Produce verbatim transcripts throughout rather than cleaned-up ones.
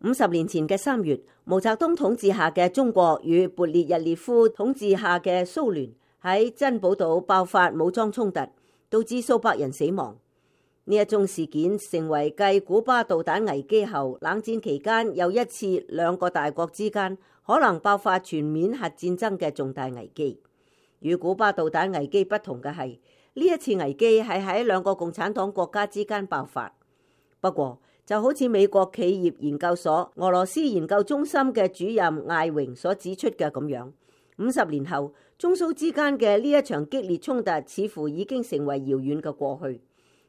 五十年前嘅三月，毛澤東統治下嘅中國與勃列日涅夫統治下嘅蘇聯喺珍寶島爆發武裝衝突，導致數百人死亡。呢一宗事件成為繼古巴導彈危機後，冷戰期間又一次兩個大國之間可能爆發全面核戰爭嘅重大危機。與古巴導彈危機不同嘅係，呢一次危機係喺兩個共產黨國家之間爆發。不過就好似美國企業研究所俄羅斯研究中心嘅主任艾榮所指出嘅咁樣，五十年後中蘇之間嘅呢一場激烈衝突似乎已經成為遙遠嘅過去。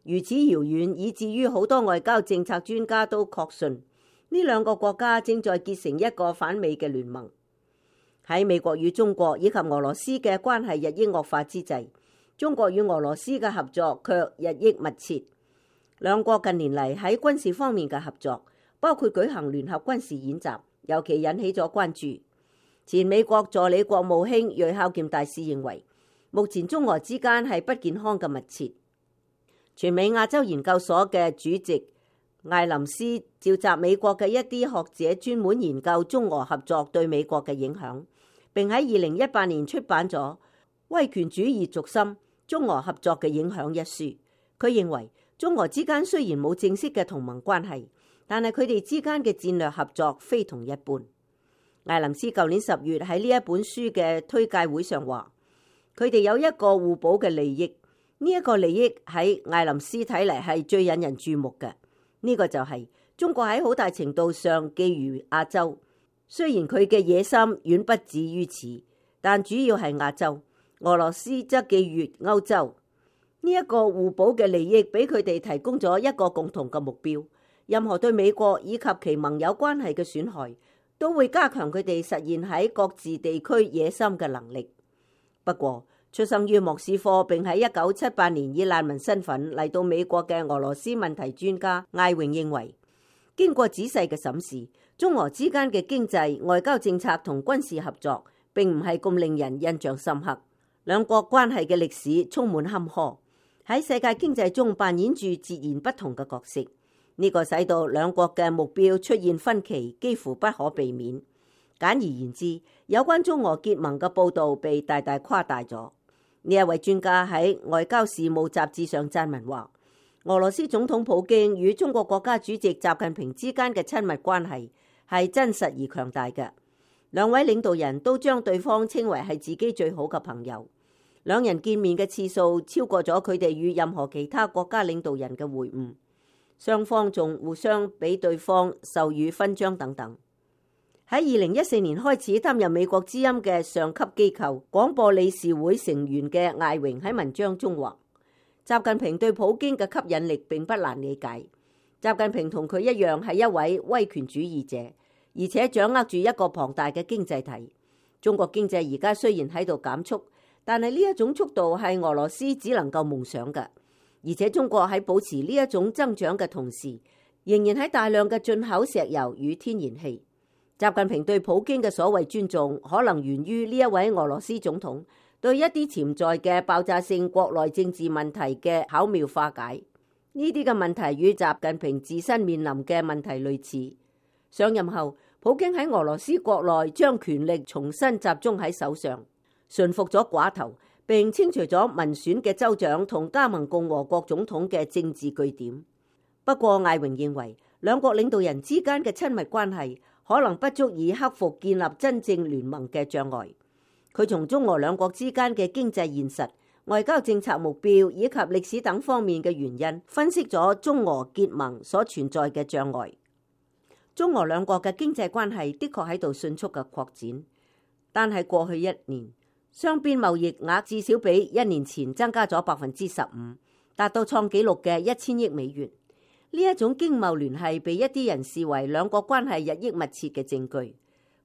如此遙遠，以至於好多外交政策專家都確信呢兩個國家正在結成一個反美嘅聯盟。喺美國與中國以及俄羅斯嘅關係日益惡化之際，中國與俄羅斯嘅合作卻日益密切。兩國近年嚟喺軍事方面嘅合作，包括舉行聯合軍事演習，尤其引起咗關注。前美國助理國務卿芮孝儉大使認為，目前中俄之間係不健康嘅密切。全美亞洲研究所嘅主席艾林斯召集美國嘅一啲學者，專門研究中俄合作對美國嘅影響，並喺二零一八年出版咗《威權主義軸心：中俄合作嘅影響》一書。佢認為，中俄之間雖然冇正式嘅同盟關係，但係佢哋之間嘅戰略合作非同一般。艾林斯舊年十月喺呢一本書嘅推介會上話，佢哋有一個互補嘅利益。呢、這、一個利益喺艾林斯睇嚟係最引人注目嘅。呢、這個就係中國喺好大程度上覬覦亞洲，雖然佢嘅野心遠不止於此，但主要係亞洲。俄羅斯則覬覦歐洲。呢一個互補嘅利益俾佢哋提供咗一個共同嘅目標，任何對美國以及其盟友關係嘅損害，都會加強佢哋實現喺各自地區野心嘅能力。不過，出生於莫斯科並喺一九七八年以難民身份嚟到美國嘅俄羅斯問題專家艾榮認為，經過仔細嘅審視，中俄之間嘅經濟、外交政策同軍事合作並唔係咁令人印象深刻。兩國關係嘅歷史充滿坎坷，喺世界經濟中扮演住截然不同嘅角色，呢、這個使到兩國嘅目標出現分歧幾乎不可避免。簡而言之，有關中俄結盟嘅報導被大大誇大咗。呢一位專家喺外交事務雜誌上撰文話，俄羅斯總統普京與中國國家主席習近平之間嘅親密關係係真實而強大嘅。兩位領導人都將對方稱為係自己最好嘅朋友。兩人見面嘅次數超過咗佢哋與任何其他國家領導人嘅會晤，雙方仲互相俾對方授予勳章等等。喺二零一四年開始擔任美國之音嘅上級機構廣播理事會成員嘅艾榮喺文章中話，習近平對普京嘅吸引力並不難理解。習近平同佢一樣係一位威權主義者，而且掌握住一個龐大嘅經濟體。中國經濟而家雖然喺度減速，但係呢一種速度係俄羅斯只能夠夢想嘅。而且中國喺保持呢一種增長嘅同時，仍然喺大量嘅進口石油與天然氣。習近平對普京嘅所謂尊重，可能源於呢一位俄羅斯總統對一啲潛在嘅爆炸性國內政治問題嘅巧妙化解。呢啲嘅問題與習近平自身面臨嘅問題類似。上任後，普京喺俄羅斯國內將權力重新集中喺手上，馴服咗寡頭，並清除咗民選嘅州長同加盟共和國總統嘅政治據點。不過艾榮認為，兩國領導人之間嘅親密關係可能不足以克服建立真正聯盟嘅障礙。佢從中俄兩國之間嘅經濟現實、外交政策目標以及歷史等方面嘅原因，分析咗中俄結盟所存在嘅障礙。中俄兩國嘅經濟關係的確喺度迅速嘅擴展，但係過去一年，雙邊貿易額至少比一年前增加咗百分之十五，達到創紀錄嘅一千億美元。呢一種經貿聯繫被一啲人視為兩國關係日益密切嘅證據。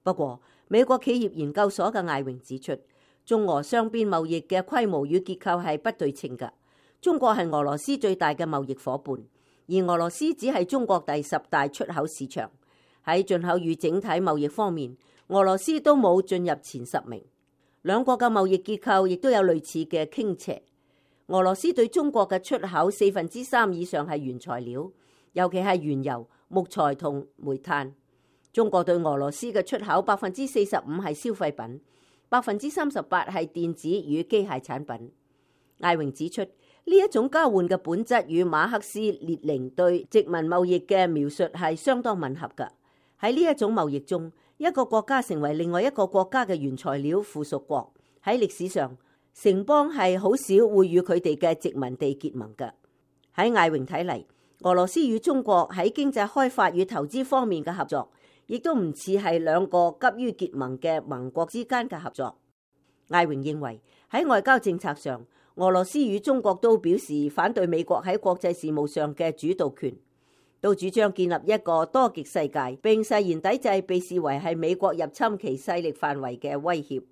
不過，美國企業研究所嘅艾榮指出，中俄雙邊貿易嘅規模與結構係不對稱嘅。中國係俄羅斯最大嘅貿易夥伴，而俄羅斯只係中國第十大出口市場。喺進口與整體貿易方面，俄羅斯都冇進入前十名。兩國嘅貿易結構亦都有類似嘅傾斜。俄羅斯對中國嘅出口四分之三以上係原材料，尤其係原油、木材同煤炭。中國對俄羅斯嘅出口百分之四十五係消費品，百分之三十八係電子與機械產品。艾榮指出，呢一種交換嘅本質與馬克思列寧對殖民貿易嘅描述係相當吻合㗎。喺呢一種貿易中，一個國家成為另外一個國家嘅原材料附屬國。喺歷史上，城邦係好少會與佢哋嘅殖民地結盟㗎。喺艾榮睇嚟，俄羅斯與中國喺經濟開發與投資方面嘅合作，亦都唔似係兩個急於結盟嘅盟國之間嘅合作。艾榮認為喺外交政策上，俄羅斯與中國都表示反對美國喺國際事務上嘅主導權，都主張建立一個多極世界，並誓言抵制被視為係美國入侵其勢力範圍嘅威脅。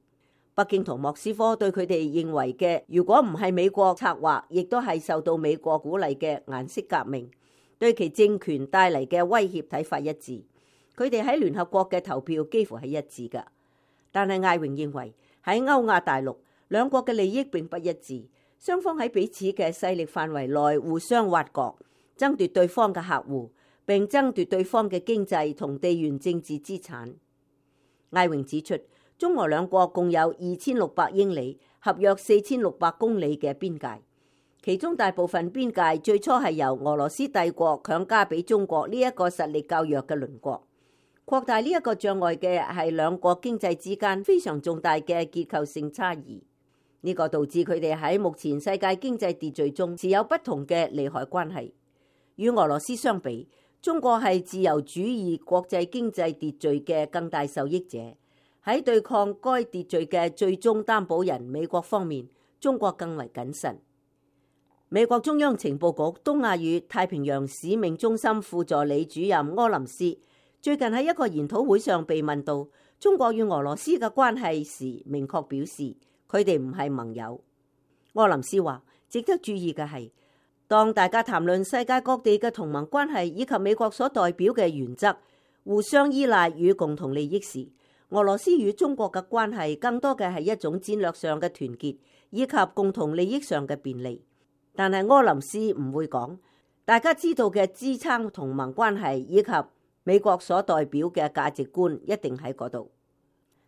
北京同莫斯科對佢哋認為嘅，如果唔係美國策劃，亦都係受到美國鼓勵嘅顏色革命，對其政權帶嚟嘅威脅睇法一致。佢哋喺聯合國嘅投票幾乎係一致㗎。但係艾榮認為喺歐亞大陸，兩國嘅利益並不一致，雙方喺彼此嘅勢力範圍內互相挖角，爭奪對方嘅客戶，並爭奪對方嘅經濟同地緣政治資產。艾榮指出，中俄兩國共有二千六百英里，合約四千六百公里嘅邊界，其中大部分邊界最初係由俄羅斯帝國強加俾中國呢一個實力較弱嘅鄰國。擴大呢一個障礙嘅係兩國經濟之間非常重大嘅結構性差異，呢個導致佢哋喺目前世界經濟秩序中持有不同嘅利害關係。與俄羅斯相比，中國係自由主義國際經濟秩序嘅更大受益者。喺對抗該秩序嘅最終擔保人美國方面，中國更為謹慎。美國中央情報局東亞與太平洋使命中心副助理主任柯林斯最近喺一個研討會上被問到中國與俄羅斯嘅關係時，明確表示佢哋唔係盟友。柯林斯話，值得注意嘅係，當大家談論世界各地嘅同盟關係以及美國所代表嘅原則、互相依賴與共同利益時，俄羅斯與中國嘅關係更多嘅係一種戰略上嘅團結，以及共同利益上嘅便利。但係柯林斯唔會講，大家知道嘅支撐同盟關係以及美國所代表嘅價值觀一定喺嗰度。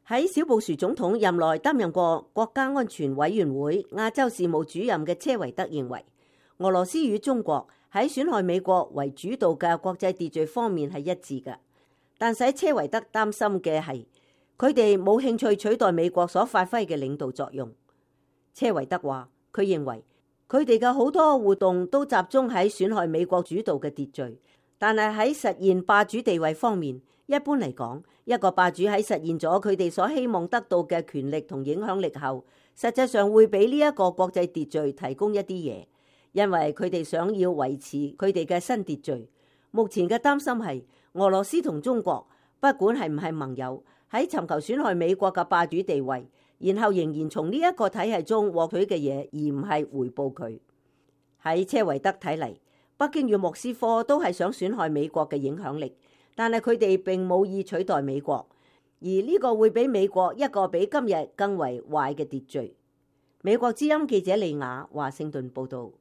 喺小布殊總統任內擔任過國家安全委員會亞洲事務主任嘅車維德認為，俄羅斯與中國喺損害美國為主導嘅國際秩序方面係一致嘅，但使車維德擔心嘅係，佢哋冇興趣取代美國所發揮嘅領導作用。車維德話，佢認為佢哋嘅好多活動都集中喺損害美國主導嘅秩序，但係喺實現霸主地位方面，一般嚟講，一個霸主喺實現咗佢哋所希望得到嘅權力同影響力後，實際上會俾呢一個國際秩序提供一啲嘢，因為佢哋想要維持佢哋嘅新秩序。目前嘅擔心係俄羅斯同中國，不管係唔係盟友，喺尋求損害美國嘅霸主地位，然後仍然從呢一個體系中獲取嘅嘢，而唔係回報佢。喺車維德睇嚟，北京與莫斯科都係想損害美國嘅影響力，但係佢哋並冇意取代美國，而呢個會俾美國一個比今日更為壞嘅秩序。美國之音記者利亞華盛頓報道。